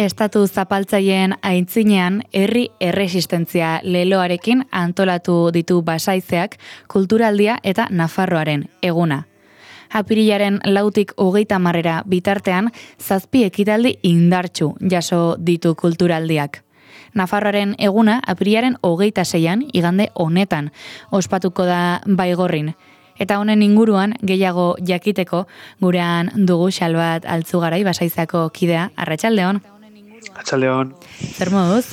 Estatu zapaltzaileen aitzinean herri erresistentzia leloarekin antolatu ditu Basaizeak kulturaldia eta Nafarroaren eguna. Apirilaren 4tik 30 bitartean 7 ekitaldi indartsu jaso ditu kulturaldiak. Nafarroaren eguna apirilaren 26an igande honetan ospatuko da Baigorrin. Eta honen inguruan gehiago jakiteko gurean dugu Xalbat Altzugarai Basaizeako kidea. Arratsaldeon. Arratsaldeon. Zer moduz?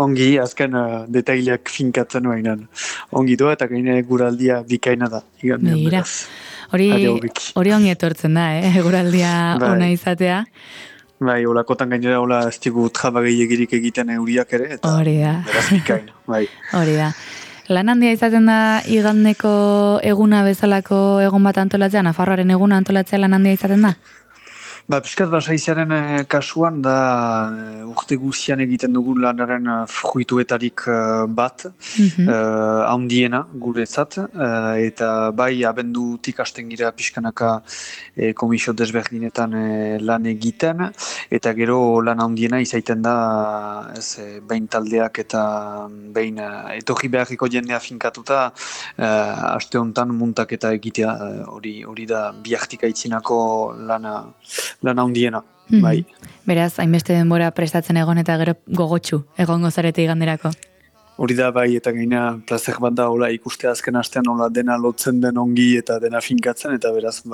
Ongi, azken detaileak finkatzen bainan. Ongi doa eta gaine guraldia bikaina da. Begira. Hori ongi etortzen da, guraldia ona izatea. Bai, olakotan gainera hola ez digu trabagailegirik egiten euriak ere, eta beraz bikaina. Bai. Hori da. Lan handia izaten da igandeko eguna bezalako egun bat antolatzea, Nafarroaren eguna antolatzea lan handia izaten da? Piskat Basaizearen kasuan da urte guzian egiten dugu lanaren fruituetarik bat, handiena guretzat, eta bai abendutik hasten gira pixkanaka komisio desberdinetan lan egiten, eta gero lan handiena izaiten da behin taldeak eta behin etorri beharriko jendea finkatuta aste honetan muntaketa egitea, hori da bihartik aitzinako lan handiena, bai. Beraz, hainbeste denbora prestatzen egon eta gero gogotsu egongo zarete iganderako. Hori da bai, eta gaina plazer bat da hola ikustea azken astean hola dena lotzen den ongi eta dena finkatzen, eta beraz,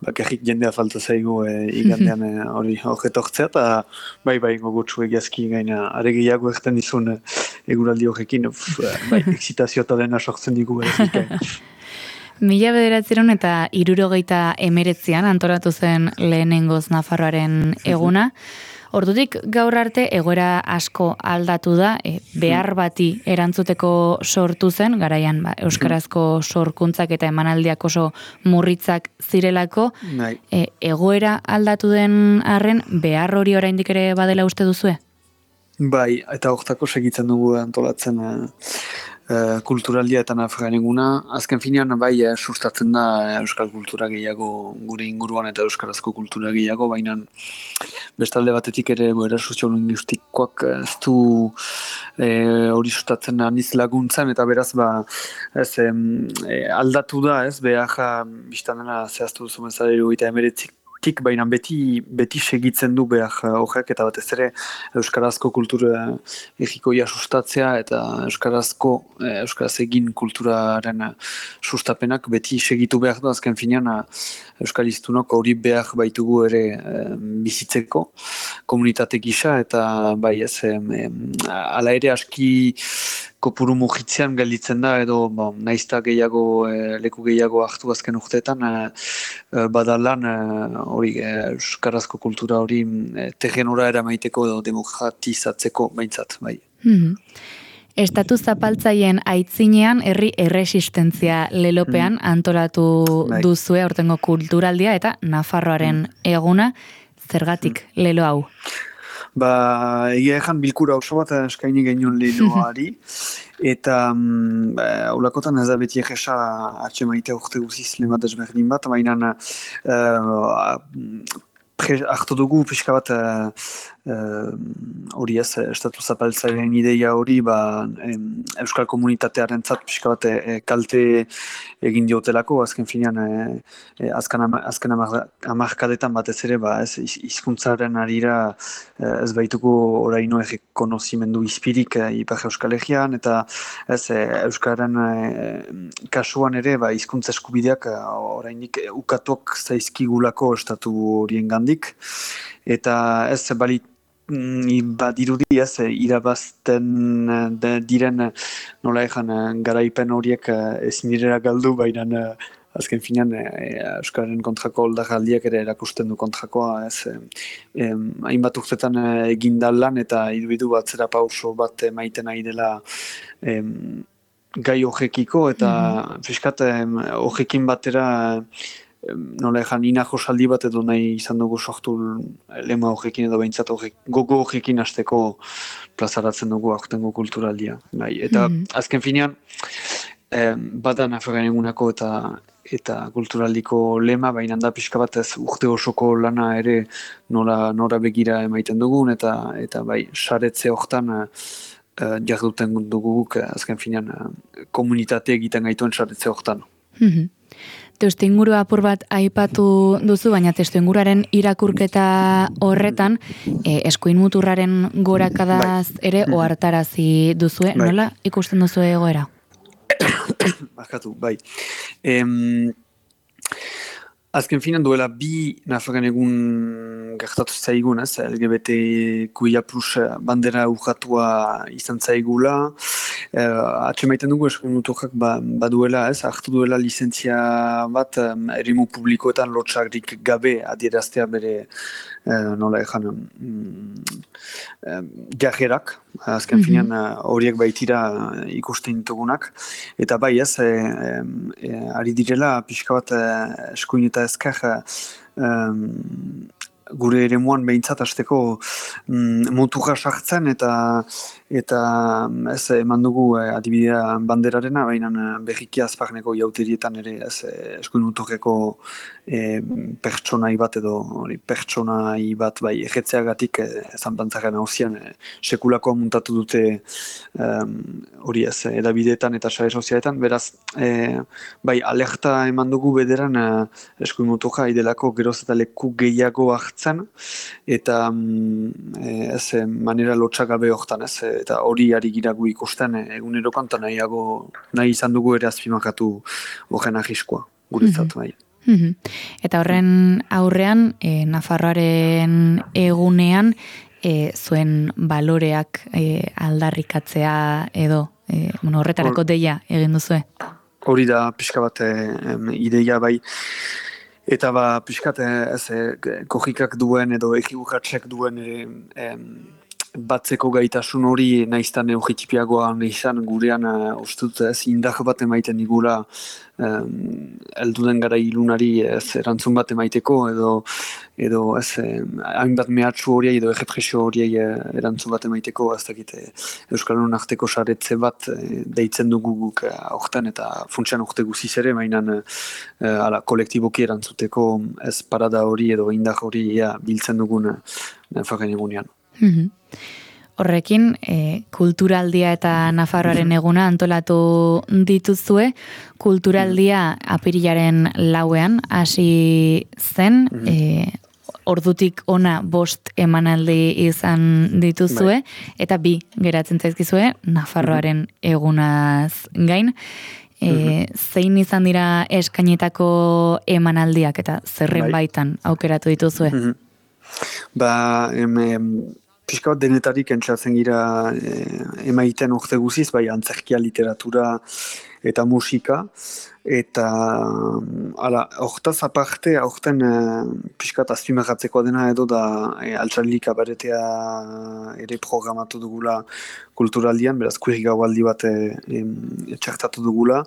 bakarrik jendea falta zaigu igandean hori horretortzea, eta bai gogotsu egiazki gaina aregiago erten dizun eguraldi horrekin, bai, excitazio eta dena sortzen digu bikain. 1979an antolatu zen lehenengoz Nafarroaren eguna. Ordutik gaur arte egoera asko aldatu da, behar bati erantzuteko sortu zen, garaian euskarazko sorkuntzak eta emanaldiak oso murritzak zirelako. Egoera aldatu den arren, behar hori oraindik ere badela uste duzue? Bai, eta hortako segitzen dugu antolatzen kulturaldia eta Nafarroaren eguna. Azken finean, bai, sustatzen da euskal kultura gehiago gure inguruan eta euskarazko kultura gehiago, baina bestalde batetik ere goera soziolinguistikoak ez du hori sustatzen aniz laguntzen, eta beraz, aldatu da, behar, biztan dena zehaztu duzu menzadero eta emeretzik, baina beti segitzen du behar horrek, eta batez ere euskarazko kultura egikoia sustatzea eta euskaraz egin kulturaren sustapenak beti segitu behar du, azken finean euskaliztunok hori behar baitugu ere bizitzeko komunitate gisa, eta bai ala ere aski kopuru mugitzean gelditzen da, edo naizta leku gehiago hartu azken urteetan, badalan hori euskarazko kultura hori terrenora eramaiteko edo demokratizatzeko behintzat, bai. Estatu zapaltzaileen aitzinean herri erresistentzia lelopean antolatu duzue aurtengo kulturaldia eta Nafarroaren eguna, zergatik lelo hau? Egia ezan bilkura oso bat eskaini genuen leloari, eta ulakotan ez da beti egesa atxemaitea urte guziz lemat ezberdin bat, baina hartu dugu pixka bat hori estatu zapaltzaileen ideia hori euskal komunitatearen zat pixka bat kalte egin diotelako, azken finean azken hamarkadetan batez ere hizkuntzaren arira ez baituko oraino errekonozimendu izpirik Ipar Euskal Herrian, eta euskaren kasuan ere hizkuntza eskubideak orainik ukatuak zaizkigulako estatu horien gandik, eta ez badirudi irabazten diren nola ezan garaipen horiek ezin direla galdu, baina azken finean euskaren kontrako oldarraldiak ere erakusten du kontrakoa, hainbat urtetan egindal lan eta iruditu batzera pauso bat maiten ari dela gai horrekiko, eta fiskat horrekin batera nola ezan inajo saldi bat edo nahi izan dugu sortu lema horrekin edo behintzat gogo horrekin hasteko plazaratzen dugu aurtengo kulturaldia. Eta azken finean, bada Nafarroaren egunako eta eta kulturaliko lema, baina da pixka bat ez urte osoko lana ere nora begira emaiten dugun, eta bai, saretze hortan jarduten duguk, azken finean, komunitate egiten gaituen saretze hortan. Testuinguru apur bat aipatu duzu, baina testuinguruaren irakurketa horretan eskuin muturraren gorakadaz ere ohartarazi duzue, nola ikusten duzu egoera? Barkatu, bai. Azken finan duela bi Nafarroan egun gertatu zaigun, LGBTQIA+ bandera urratua izan zaigula. Atxemaiten dugu eskuin muturrak baduela, hartu duela lizentzia bat eremu publikoetan lotxagrik gabe adieraztea bere nola ezan jajerak, azken finean horiek baitira ikusten ditugunak, eta bai ari direla pixka bat eskuin eta ezker gure eremuan behintzat hasteko muturra sartzen eta ez eman dugu adibidea banderarena, baina berriki azparneko jauterietan ere eskuin muturreko pertsonai bat edo pertsonai bat bai egetzeagatik zanpantzaren hausian sekulakoa muntatu dute hori edabideetan eta sare sozialetan, beraz bai alerta eman dugu bederan eskuin muturra idelako geroz eta leku gehiago hartzen eta manera lotxagabe hortan eta hori ari giragu ikusten egunerokan eta nahi izan dugu ere azpimakatu horren ahiskoa guretzat bai. Eta horren aurrean, Nafarroaren egunean, zuen baloreak aldarrikatzea edo horretarako deia egin duzue? Hori da pixka bat ideia bai, eta pixka kojikak duen edo ekibukatzek duen batzeko gaitasun hori naiztan eugitipiagoa izan gurean ustut indar bat emaiten digula elduden gara ilunari erantzun bat emaiteko edo hainbat mehatxu horiei edo errepresio horiei erantzun bat emaiteko Euskaldun arteko saretze bat deitzen dugu guk aurten eta funtsian urte guziz ere, mainan kolektiboki erantzuteko ez parada hori edo indar hori biltzen dugun Nafarroaren egunean. Horrekin, kulturaldia eta Nafarroaren eguna antolatu dituzue, kulturaldia apirilaren 4ean hasi zen, ordutik ona 5 emanaldi izan dituzue, eta 2 geratzen zaizkizue Nafarroaren egunaz gain. Zein izan dira eskainetako emanaldiak eta zerren baitan aukeratu dituzue? Pixka bat denetarik entzatzen gira emaiten urte guziz, bai antzerkia, literatura eta musika, eta hortaz aparte, aurten pixka bat azpimarratzeko dena edo da altxarli kabaretea ere programatu dugula kulturaldian, beraz kuirri gaualdi bat txartatu dugula,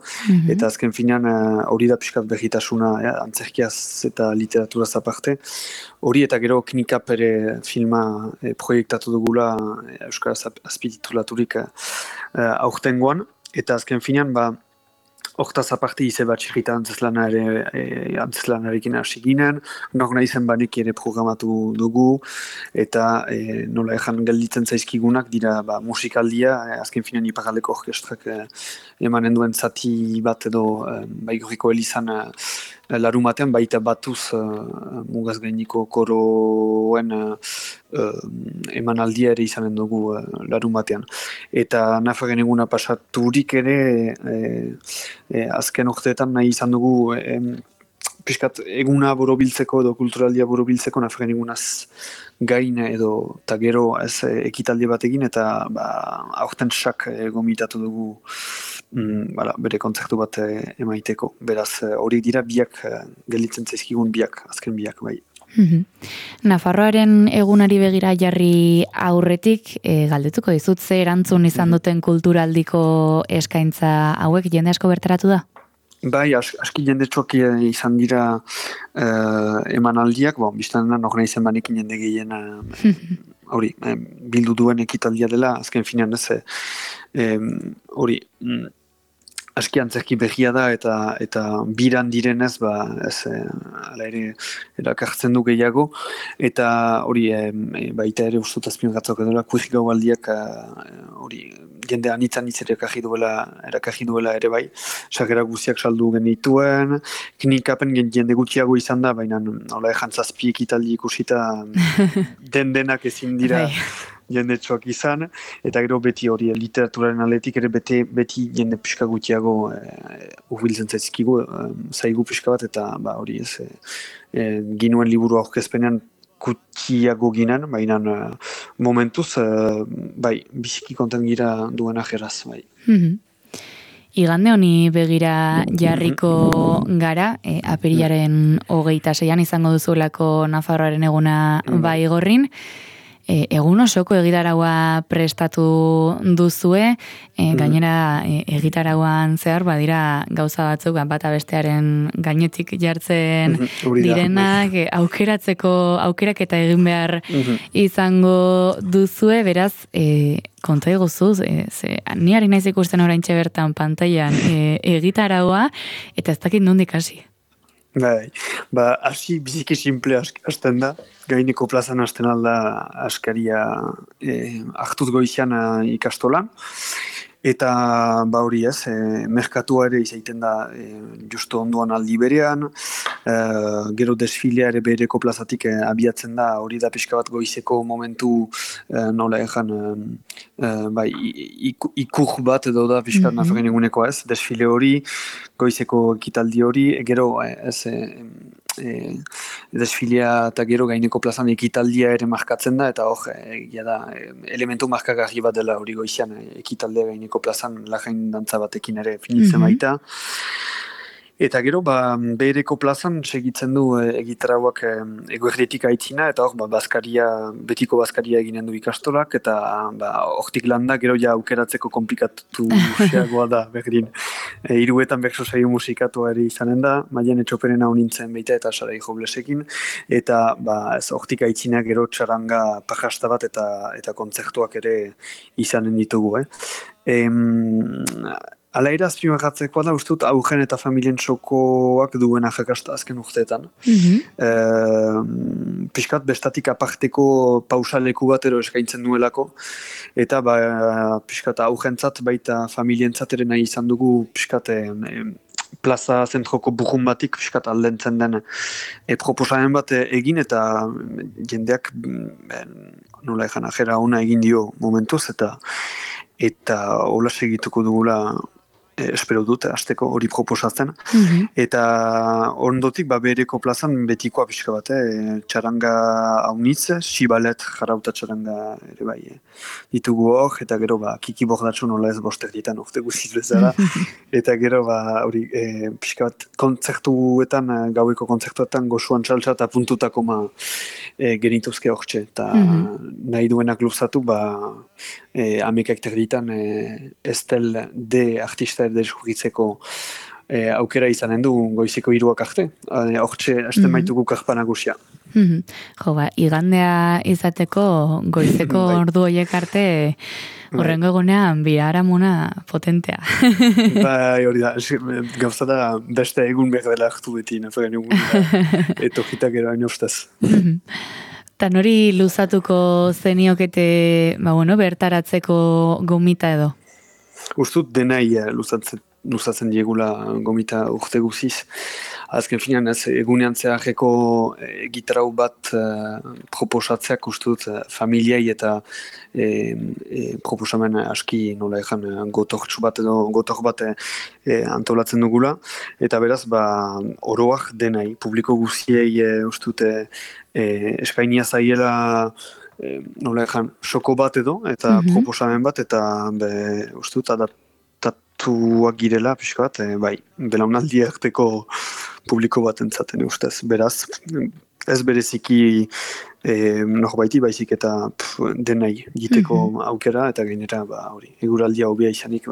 eta azken finean hori da pixka bat berritasuna antzerkiaz eta literaturaz aparte, hori eta gero Knikap ere filma proiektatu dugula Euskaraz azpititulaturik aurtengoan, eta azken finean hortaz aparte ize bat txirrita antzeslanarekin hasi ginen, nor nahi zen banek ere programatu dugu, eta nola ezan gelditzen zaizkigunak dira musikaldia, azken finean iparaldeko orkestrak emanen duen zati bat edo Baigorriko Elizan larumatean baita batuz mugaz gainiko koroen emanaldia ere izanen dugu larumatean. Eta Nafarroaren eguna pasaturik ere azken urteetan nahi izan dugu pixkat eguna borobiltzeko edo kulturaldia borobiltzeko Nafarroaren egunaz gain edo eta gero ekitaldi bat egin eta aurten sak gomitatu dugu bere kontzertu bat emaiteko. Beraz hori dira biak gelditzen zaizkigun azken biak bai. Nafarroaren egunari begira jarri aurretik galdetuko dizut ze erantzun izan duten kulturaldiko eskaintza hauek jende asko bertaratu da? Bai, aski jendetsuak izan dira emanaldiak, biztan nor nahi zen banekin jende gehien hori, bildu duen ekitaldia dela, azken finean hori, aski antzerki behia da eta biran direnez ez ala ere erakartzen du gehiago eta hori baita ere ustut azpimarratzeko dela kurik gaualdiak hori jende anitzan erakarri duela ere bai sarrera guztiak saldu genituen klinikapen jende gutxiago izan da baina hola jantzazpi ekitaldi ikusita denak ezin dira jendetsuak izan, eta gero beti hori literaturaren aldetik ere beti jende pixka gutiago urbiltzen zaizkigu, zaigu pixka bat, eta hori ez, ginuen liburu aurkezpenean gutiago ginen, baina momentuz, biziki konten gira duen ajeraz, bai. Igande honi begira jarriko gara, apirilaren 26an izango duzuelako Nafarroaren eguna bai gorrin, egun osoko egitaraua prestatu duzue, gainera egitarauan zehar badira gauza batzuk bata bestearen gainetik jartzen direnak, aukerak eta egin behar izango duzue, beraz, konta eguzuz, ni ari naiz ikusten oraintxe bertan pantailan egitaraua, eta ez dakit nondik hasi. Hasi biziki simple hasten da, gaineko plazan hasten alda askaria hartuz goizian ikastolan, eta hori ez, merkatua ere izaiten da justo onduan aldi berean, gero desfilea ere bereko plazatik abiatzen da, hori da pixka bat goizeko momentu nola egan, ikur bat edo da pixka Nafarroaren eguneko ez, desfile hori, goizeko ekitaldi hori, gero desfilea eta gero gaineko plazan ekitaldia ere markatzen da, eta hor, elementu markagarri bat dela hori goizian ekitaldea gaineko plazan lajain dantza batekin ere finitzen baita. Eta gero, behereko plazan segitzen du egitarauak eguerdetik aitzina, eta hor, betiko bazkaria eginen du ikastolak, eta hortik landa gero ja aukeratzeko komplikatu xeagoa da, berdin. Hiruetan berso saio musikatua ere izanen da, Maialen Etxoperen hau nintzen baita eta Sarai Joblesekin, eta hortik aitzina gero txaranga pajasta bat eta kontzertuak ere izanen ditugu. Ala ere azpimarratzeko da, uste dut, augen eta familien txokoak duen ajakasta azken urteetan. Piskat bestatik aparteko pausaleku bat ero eskaintzen duelako, eta piskat augentzat baita familientzat ere nahi izan dugu piskat plaza zentroko burrun batik piskat aldentzen den proposamen bat egin, eta jendeak nola egan ajera ona egin dio momentuz, eta hola segituko dugula espero dut, azteko hori proposatzen. Eta ondotik, bereko plazan betikoa pixka bat, txaranga haunitz, sibalet jarauta txaranga ere bai ditugu hor, eta gero kiki bordatxu nola ez boster ditan urte guziz bezala. Eta gero hori pixka bat kontzertuetan, gaueko kontzertuetan gozuan txaltza eta puntutako genituzke hortxe. Eta nahi duenak luzatu, amekak terditan Estel de artista deskubritzeko aukera izanen du goizeko 3 arte. Hortxe, hasten maitugu karpa nagusia. Igandea izateko goizeko ordu horiek arte horrengo egunean biharamuna potentea. Hori da, gauza da beste egun behar dela hartu beti, Nafarroaren egun etokitak ero hain ostaz. Eta nori luzatuko zeniokete bertaratzeko gomita edo? Ustut denai luzatzen diegula gomita urte guziz. Azken finean egunean zeharreko gitarau bat proposatzeak ustut familiai eta proposamen aski nola egan gotortxu bat edo gotor bat antolatzen dugula. Eta beraz, oroak denai, publiko guziei ustut espainia zaiela nola egan soko bat edo, eta proposamen bat, eta ustut adaptatuak girela, pixka bat, belaunaldi arteko publiko bat entzaten ustez. Beraz, ez bereziki norbaiti baizik eta denai giteko aukera, eta gainera, eguraldia hobea izanik,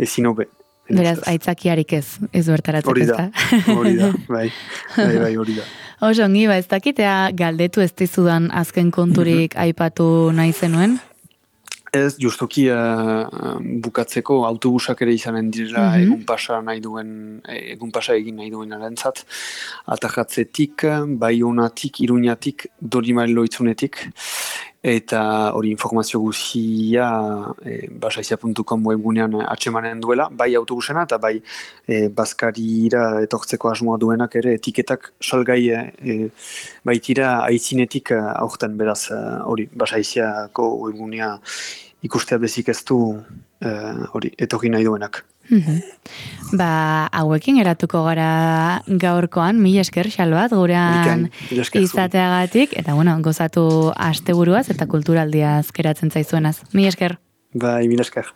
ezin hobe. Beraz, aitzakiarik ez bertaratzeko, ez da? Hori da, hori da. Oso, ongi, ez dakitea galdetu ez dizudan azken konturik aipatu nahi zenuen? Ez, justuki bukatzeko autobusak ere izanen direla egun pasa egin nahi duen arentzat. Atajatzetik, Baionatik, Iruñatik, Dorimailo itzunetik. Eta hori informazio guzia basaizia.com webgunean atsemanen duela, bai autobusena eta bai Baskarira etortzeko asmoa duenak ere etiketak salgai baitira aizinetik aurten beraz hori basaiziako webgunea ikustea bezik ez du hori etorri nahi duenak. Hauekin eratuko gara gaurkoan, mila esker Xalbat gurean izateagatik, eta gozatu asteburuaz eta kulturaldiaz geratzen zaizuenaz. Mila esker. Bai, mila esker.